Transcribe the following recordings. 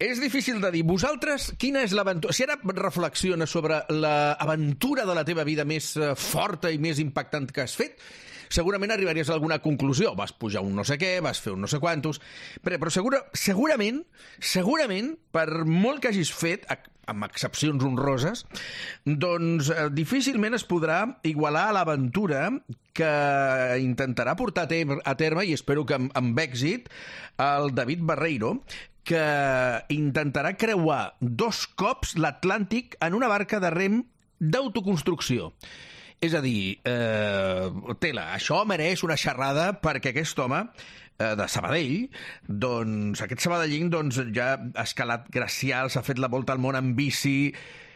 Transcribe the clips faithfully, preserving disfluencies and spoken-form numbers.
És difícil de dir. Vosaltres, quina és l'aventura? Si ara reflexiones sobre l'aventura de la teva vida més forta i més impactant que has fet, segurament arribaries a alguna conclusió. Vas pujar un no sé què, vas fer un no sé quantos... Però, però segura, segurament, segurament, per molt que hagis fet, amb excepcions honroses, doncs eh, difícilment es podrà igualar a l'aventura que intentarà portar a terme, a terme i espero que amb, amb èxit, el David Barreiro, que intentarà creuar dos cops l'Atlàntic en una barca de rem d'autoconstrucció. És a dir, eh, tela, això mereix una xerrada perquè aquest home eh, de Sabadell, doncs aquest sabadellín doncs, ja ha escalat glacials, ha fet la volta al món en bici...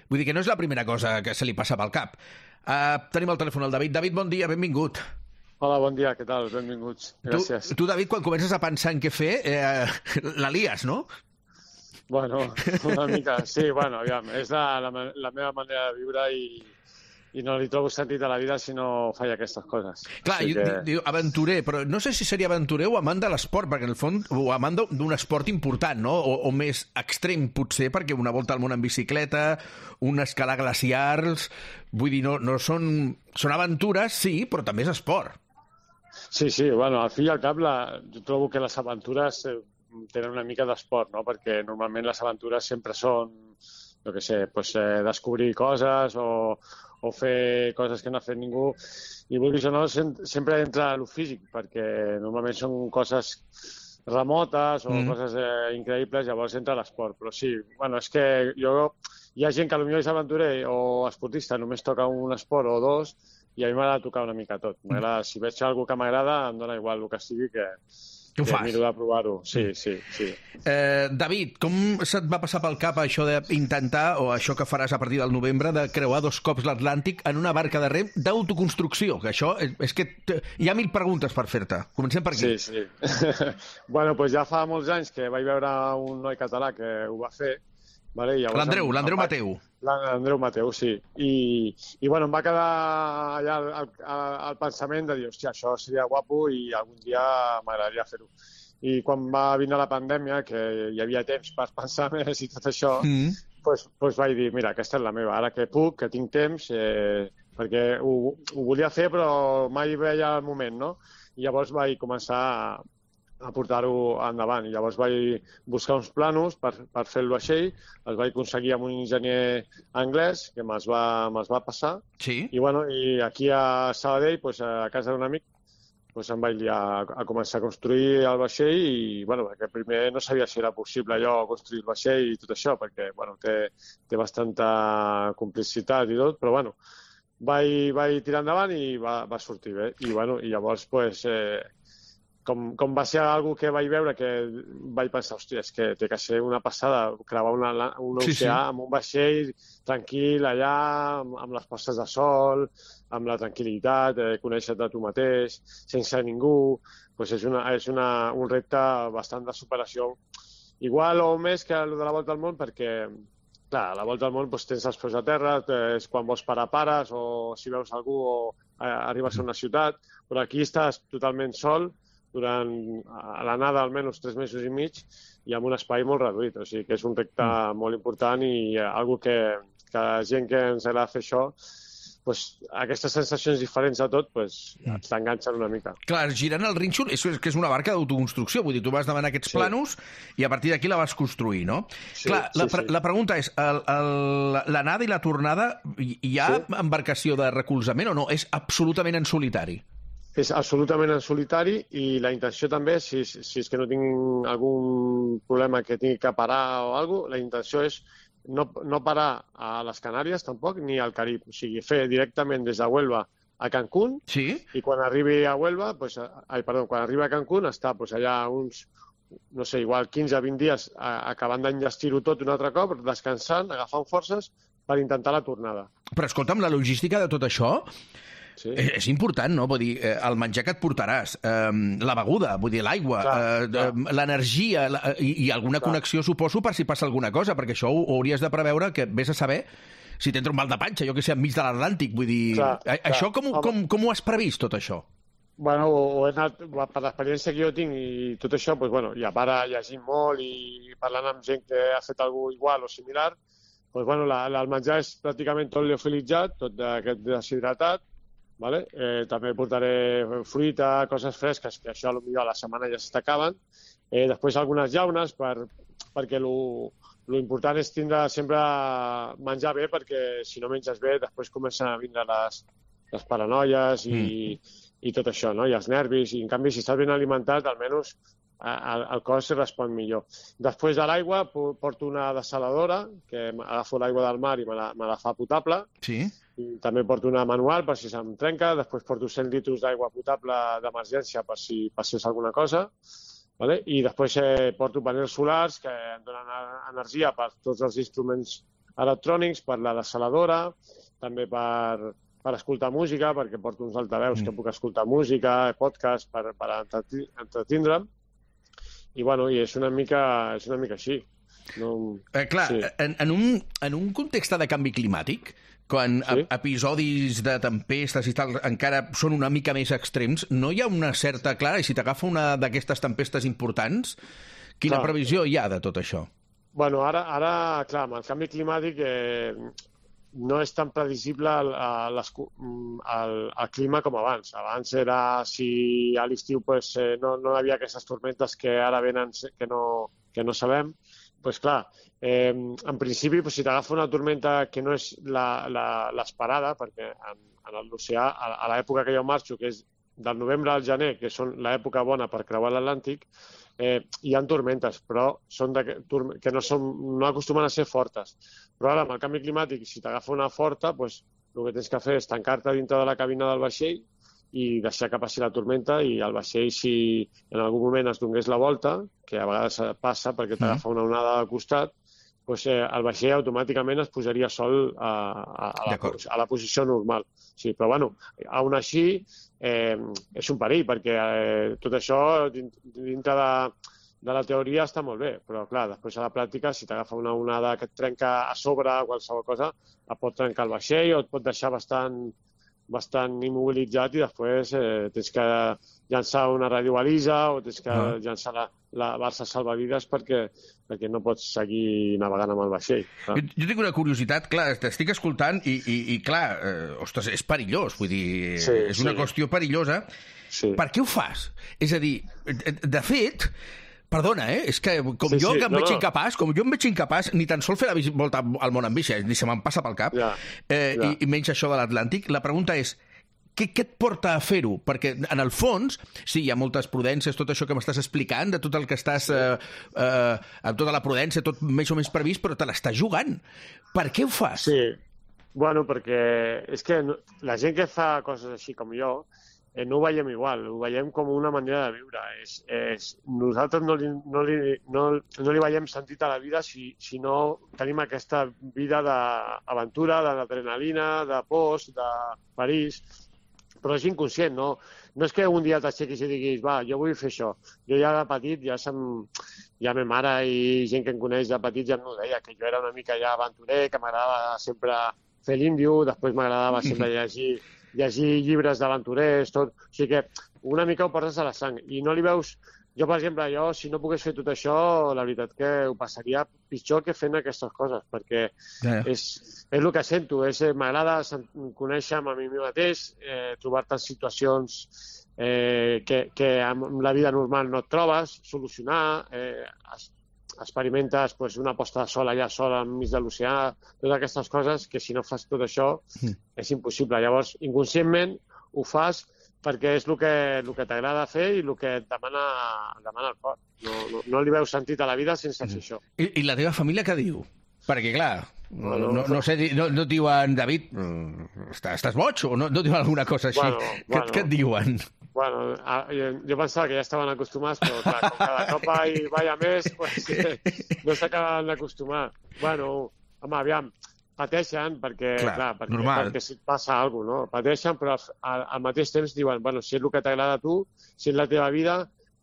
Vull dir que no és la primera cosa que se li passa pel cap. Eh, tenim al telèfon el David. David, bon dia, benvingut. Hola, bon dia, què tal? Benvinguts. Gràcies. Tu, tu David, quan comences a pensar en què fer, eh, la lies, no? Bueno, una mica, sí, bueno, aviam, és la, la, la meva manera de viure i, i no li trobo sentit a la vida si no faig aquestes coses. Clar, jo que... diu aventurer, però no sé si seria aventurer o amant de l'esport, perquè en el fons, o amant d'un esport important, no? O, o més extrem, potser, perquè una volta al món en bicicleta, un escalar glaciars... Vull dir, no, no són... Són aventures, sí, però també és esport. Sí, sí, bueno, al fi i al cap la, jo trobo que les aventures eh, tenen una mica d'esport, no? Perquè normalment les aventures sempre són, jo què sé, pues, eh, descobrir coses o, o fer coses que no ha fet ningú. I vulguis o no, sempre entra a lo físic, perquè normalment són coses remotes o mm. coses eh, increïbles, llavors entra l'esport. Però sí, bueno, és que jo... Hi ha gent que potser és aventurer o esportista, només toca un esport o dos, i a mi m'agrada tocar una mica tot. Si veig alguna que m'agrada, em dona igual el que sigui, que, que miro de provar-ho. Sí, sí, sí. Eh, David, com se't va passar pel cap això d'intentar, o això que faràs a partir del novembre, de creuar dos cops l'Atlàntic en una barca de rem d'autoconstrucció? Que això és, és que hi ha mil preguntes per fer-te. Comencem per aquí. Sí, sí. Bueno, doncs ja fa molts anys que vaig veure un noi català que ho va fer. Vale, l'Andreu, l'Andreu Mateu. L'Andreu Mateu, sí. I, i bueno, em va quedar allà el, el, el pensament de dir, hòstia, això seria guapo i algun dia m'agradaria fer-ho. I quan va vindre la pandèmia, que hi havia temps per pensar més i tot això, mm. pues, pues vaig dir, mira, aquesta és la meva, ara que puc, que tinc temps, eh, perquè ho, ho volia fer però mai veia el moment, no? I llavors vaig començar a a portar-ho endavant. I llavors vaig buscar uns planos per, per fer el vaixell, els vaig aconseguir amb un enginyer anglès que me'ls va, me'ls va passar. Sí. I, bueno, i aquí a Sabadell, pues, a casa d'un amic, pues, em vaig liar a, a començar a construir el vaixell i, bueno, perquè primer no sabia si era possible allò, construir el vaixell i tot això, perquè, bueno, té, té bastanta complicitat i tot, però, bueno, vaig, vaig tirar endavant i va, va sortir bé. I, bueno, i llavors, pues, eh, Com, com va ser algo que vaig veure que vaig pensar, hòstia, és que té que ser una passada creuar una, un oceà sí, sí. amb un vaixell tranquil allà, amb, amb les postes de sol, amb la tranquil·litat, eh, conèixer-te tu mateix, sense ningú, pues és, una, és una, un repte bastant de superació. Igual o més que el de la volta al món, perquè clar, a la volta al món pues, tens els peus a terra, és quan vols parar pares, o si veus algú o eh, arribes a una ciutat, però aquí estàs totalment sol, durant a l'anada almenys tres mesos i mig i amb un espai molt reduït. O sigui que és un repte mm. molt important i eh, algo que, que la gent que ens agrada fer això, pues, aquestes sensacions diferents a tot pues, mm. t'enganxen una mica. Clar, girant el rínxol és que és una barca d'autoconstrucció. Vull dir, tu vas demanar aquests sí. planos i a partir d'aquí la vas construir, no? Sí, Clar, la, sí, sí. la pregunta és, l'anada i la tornada, hi ha sí. embarcació de recolzament o no? És absolutament en solitari? És absolutament en solitari i la intenció també, si, si és que no tinc algun problema que tingui que parar o alguna cosa, la intenció és no, no parar a les Canàries tampoc ni al Carib. O sigui, fer directament des de Huelva a Cancún sí? i quan arribi a Huelva, pues, ai, perdó, quan arribi a Cancún està pues, allà uns, no sé, igual quinze a vint dies a, acabant d'enllestir-ho tot un altre cop, descansant, agafant forces per intentar la tornada. Però escolta'm, la logística de tot això... Sí. És, és important, no? Vull dir, eh, el menjar que et portaràs, eh, la beguda, vull dir, l'aigua, eh, l'energia la, i, i alguna clar. connexió, suposo, per si passa alguna cosa, perquè això ho, ho hauries de preveure, que vés a saber si t'entra un mal de panxa, jo que sé, enmig de l'Atlàntic, vull dir... Clar, clar. Això com, com, com ho has previst, tot això? Bueno, o he anat, per l'experiència que jo tinc i tot això, doncs, bueno, i a part llegint molt i parlant amb gent que ha fet alguna cosa igual o similar, doncs, bueno, la, la, el menjar és pràcticament tot liofilitzat, tot aquest deshidratat, vale? Eh, també portaré fruita, coses fresques, que això potser a la setmana ja s'acaben. Eh, després algunes llaunes, per, perquè lo, lo important és tindre sempre menjar bé, perquè si no menges bé després comencen a vindre les, les paranoies i... Mm. i tot això, no? I els nervis, i en canvi si estàs ben alimentat almenys el, el cos respon millor. Després de l'aigua porto una dessaladora, que agafo l'aigua del mar i me la, me la fa potable, sí. I també porto una manual per si se'm trenca, després porto cent litres d'aigua potable d'emergència per si passés alguna cosa, vale? I després eh, porto panels solars que em donen energia per tots els instruments electrònics, per la dessaladora, també per... per escoltar música, perquè porto uns altaveus mm. que puc escoltar música, podcast, per, per entretindre'm. I, bueno, i és una mica, és una mica així. No... Eh, clar, sí. en, en, un, en un context de canvi climàtic, quan sí? episodis de tempestes i tal encara són una mica més extrems, no hi ha una certa... Clar, i si t'agafa una d'aquestes tempestes importants, quina clar. previsió hi ha de tot això? Bueno, ara, ara clar, amb el canvi climàtic... Eh, no és tan previsible el, el, el, el clima com abans. Abans era, si a l'estiu pues, eh, no, no hi havia aquestes tormentes que ara venen que no, que no sabem, pues, clar, eh, en principi pues, si t'agafa una tormenta que no és l'esperada, perquè en, en l'oceà, a, a l'època que jo marxo, que és del novembre al gener, que són l'època bona per creuar l'Atlàntic, eh, hi ha tormentes, però són de, que no, són, no acostumen a ser fortes. Però ara, amb el canvi climàtic, si t'agafa una forta, pues, el que tens que fer és tancar-te dintre de la cabina del vaixell i deixar que passi la tormenta, i el vaixell, si en algun moment es donés la volta, que a vegades passa perquè t'agafa una onada al costat, pues, eh, el vaixell automàticament es posaria sol a, a, a, la, a la posició normal. Sí, però, bueno, aún així, eh, és un perill, perquè eh, tot això dintre de, de la teoria està molt bé, però, clar, després a la pràctica, si t'agafa una onada que et trenca a sobre qualsevol cosa, et pot trencar el vaixell o et pot deixar bastant, bastant immobilitzat, i després eh, tens que llançar una radiobalisa o tens que ah. llançar la, la balsa salvavides perquè, perquè no pots seguir navegant amb el vaixell. Jo, jo tinc una curiositat, clar, t'estic escoltant i, i, i clar, eh, ostres, és perillós, vull dir, sí, és una sí. qüestió perillosa. Sí. Per què ho fas? És a dir, de fet, perdona, eh? És que com sí, jo sí, que em no, veig no. incapaç, com jo em veig incapaç, ni tan sols fer la volta al món amb bici, ni se me'n passa pel cap, ja, eh, ja. I, i menys això de l'Atlàntic, la pregunta és, Què, què et porta a fer-ho? Perquè, en el fons, sí, hi ha moltes prudències, tot això que m'estàs explicant, de tot el que estàs... Eh, eh, amb tota la prudència, tot més o menys previst, però te l'estàs jugant. Per què ho fas? Sí, bueno, perquè és que no, la gent que fa coses així com jo, eh, no ho veiem igual, ho veiem com una manera de viure. És, és, nosaltres no li, no, li, no, no li veiem sentit a la vida si, si no tenim aquesta vida d'aventura, d'adrenalina, de pors, de perills, però és inconscient, no? No és que un dia t'aixequis i diguis, va, jo vull fer això. Jo ja de petit, ja, sem... ja ma mare i gent que em coneix de petit ja m'ho deia, que jo era una mica ja aventurer, que m'agradava sempre fer l'índio, després m'agradava sempre llegir, llegir llibres d'aventurers, tot. O sigui que una mica ho portes a la sang i no li veus... Jo, per exemple, jo, si no pogués fer tot això, la veritat que ho passaria pitjor que fent aquestes coses, perquè yeah. és, és el que sento. És, m'agrada conèixer-me a mi mateix, eh, trobar-te en situacions eh, que, que amb la vida normal no et trobes, solucionar, eh, experimentes pues, una posta de sol allà sola enmig de l'oceà, totes aquestes coses que si no fas tot això mm. és impossible. Llavors, inconscientment ho fas perquè és el que, el que t'agrada fer i el que et demana, demana el cor. No, no, no li veus sentit a la vida sense fer això. I, i la teva família què diu? Perquè, clar, no, no, no, no sé, no, no et diuen, David, estàs, estàs boig? O no, no diuen alguna cosa així? Bueno, què, bueno, què et diuen? Bueno, jo, jo pensava que ja estaven acostumats, però clar, com cada cop hi vaia més, pues, no s'acaben d'acostumar. Bueno, home, aviam, pateixen perquè, clar, clar perquè, perquè si passa alguna cosa, no? Pateixen, però al, al mateix temps diuen, bueno, si és el que t'agrada a tu, si és la teva vida,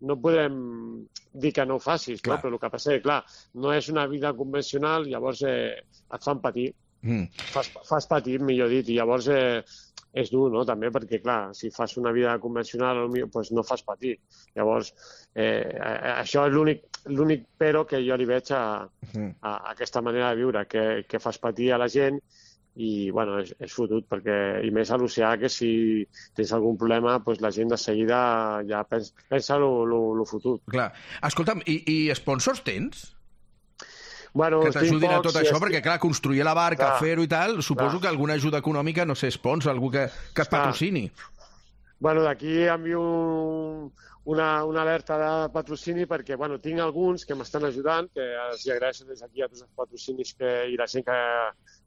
no podem dir que no ho facis, no? Però el que passa és que, clar, no és una vida convencional, llavors eh, et fan patir. Mm. Fas, fas patir, millor dit, i llavors eh, és dur, no?, també, perquè, clar, si fas una vida convencional, doncs no fas patir. Llavors, eh, això és l'únic l'únic però que jo li veig a, a, a aquesta manera de viure, que, que fas patir a la gent i, bueno, és, és fotut, perquè, i més a l'oceà, que si tens algun problema, doncs la gent de seguida ja pensa, pensa lo, lo, lo fotut. Clar. Escolta'm, i, i sponsors tens? Bueno, que t'ajudin a tot si això, estic... perquè, clar, construir la barca, clar, fer-ho i tal, suposo clar. que alguna ajuda econòmica, no sé, sponsor, algú que, que es patrocini. Bueno, d'aquí envio un, una, una alerta de patrocini perquè, bueno, tinc alguns que m'estan ajudant, que els agraeixo des d'aquí a tots els patrocinis que, i la gent que,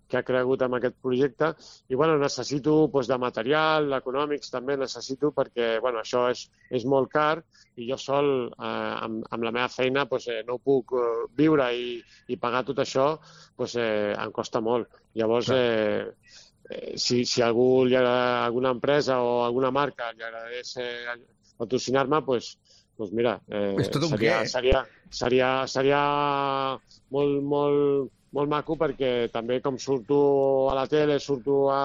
que ha cregut en aquest projecte. I, bueno, necessito doncs, de material, econòmics també necessito, perquè, bueno, això és, és molt car i jo sol, eh, amb, amb la meva feina, doncs, eh, no puc eh, viure i, i pagar tot això, doncs, eh, em costa molt. Llavors, eh, eh, si, si algú li agrada, alguna empresa o alguna marca li agradés eh, patrocinar-me, doncs, doncs mira, eh, seria, seria, seria, seria molt, molt, molt maco, perquè també com surto a la tele, surto a,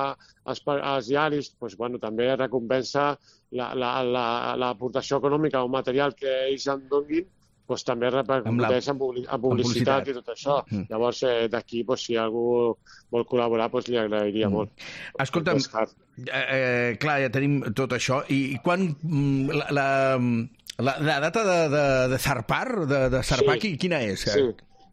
als, als diaris, doncs, bueno, també recompensa l'aportació la, la, la econòmica o material que ells em donguin, doncs també repercuteix en, publi en publicitat i tot això. Mm. Llavors, eh, d'aquí, doncs, si algú vol col·laborar, doncs li agrairia mm. molt. Escolta'm, eh, clar, ja tenim tot això. I quan la, la, la, la data de, de, de zarpar, de, de zarpar, sí. quina és? Sí.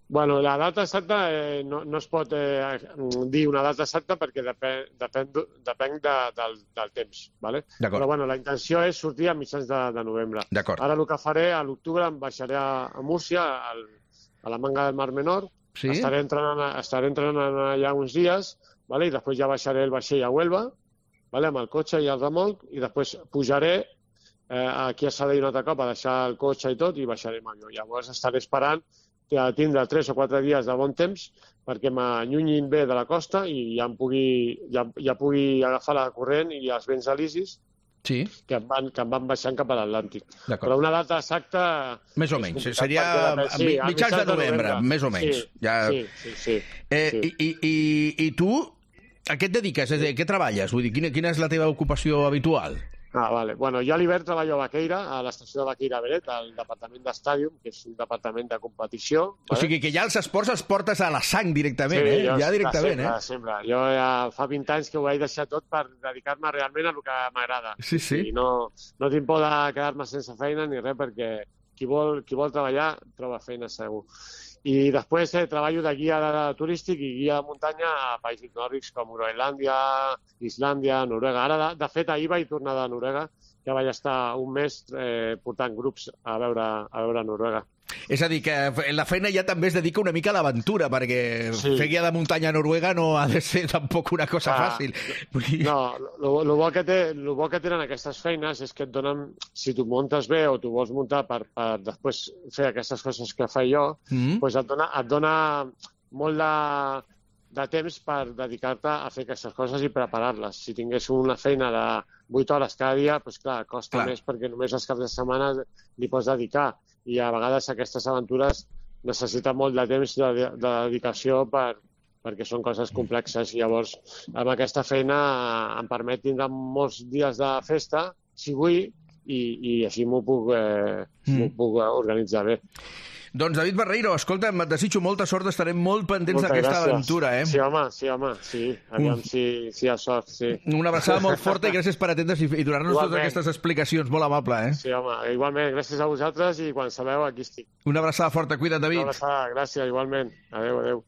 Bueno, la data exacta eh, no, no es pot eh, dir una data exacta perquè depèn, depèn, depèn de, del, del temps, ¿vale? Però bueno, la intenció és sortir a mitjans de, de novembre. Ara el que faré, a l'octubre em baixaré a, a Múrcia, al, a la Manga del Mar Menor, sí? estaré, entrenant, estaré entrenant allà uns dies, ¿vale? I després ja baixaré el vaixell a Huelva, ¿vale? Amb el cotxe i el remolc, i després pujaré eh, aquí a Sabadell un altre cop a deixar el cotxe i tot, i baixaré amb avió. Llavors estaré esperant a tindre tres o quatre dies de bon temps perquè m'allunyin bé de la costa i ja em pugui, ja, ja pugui agafar la corrent i els vents alisis sí. que, em van, que em van baixant cap a l'Atlàntic. Però una data exacta... Més o menys, seria sí, mitjans de novembre, novembre, més o menys. Sí, ja... sí, sí. sí, eh, sí. I, i, i tu a què et dediques? És a dir, què treballes? Vull dir, quina, quina és la teva ocupació habitual? Ah, vale. Bueno, jo a l'hivern treballo a Baqueira, a l'estació de Baqueira Beret, al departament d'estàdium, que és un departament de competició. Vale? O sigui que ja els esports els portes a la sang directament, sí, eh? Ja directament, sempre, eh? sempre. Jo ja fa vint anys que ho vaig deixar tot per dedicar-me realment a el que m'agrada. Sí, sí. I no, no tinc por de quedar-me sense feina ni res, perquè qui vol, qui vol treballar troba feina segur. I després eh, treballo de guia turístic i guia de muntanya a països nòrdics com Groenlàndia, Islàndia, Noruega. Ara, de, de fet, ahir vaig tornar de Noruega, que vaig estar un mes eh, portant grups a veure, a veure Noruega. És a dir, que la feina ja també es dedica una mica a l'aventura, perquè sí. fer guia de muntanya a Noruega no ha de ser tampoc una cosa ah, fàcil. No, el bo, que té, lo bo que tenen aquestes feines és que et donen, si tu muntes bé o tu vols muntar per, per després fer aquestes coses que faig jo, mm-hmm. doncs et dona, et dona molt de, de temps per dedicar-te a fer aquestes coses i preparar-les. Si tingués una feina de vuit hores cada dia, doncs clar, costa clar. més perquè només els caps de setmana li pots dedicar. I a vegades aquestes aventures necessiten molt de temps de, de, de dedicació per, perquè són coses complexes. I llavors, amb aquesta feina em permet tindre molts dies de festa, si vull, i, i així m'ho puc, eh, mm. puc organitzar bé. Doncs David Barreiro, escolta'm, et desitjo molta sort, estarem molt pendents d'aquesta aventura, eh? Sí, home, sí, home, sí. Aviam si, si hi ha sort, sí. Una abraçada molt forta i gràcies per atendre's i, i donar-nos totes aquestes explicacions. Molt amable, eh? Sí, home, igualment, gràcies a vosaltres i quan sabeu, aquí estic. Una abraçada forta, cuida't, David. Una abraçada, gràcies, igualment. Adéu, adéu.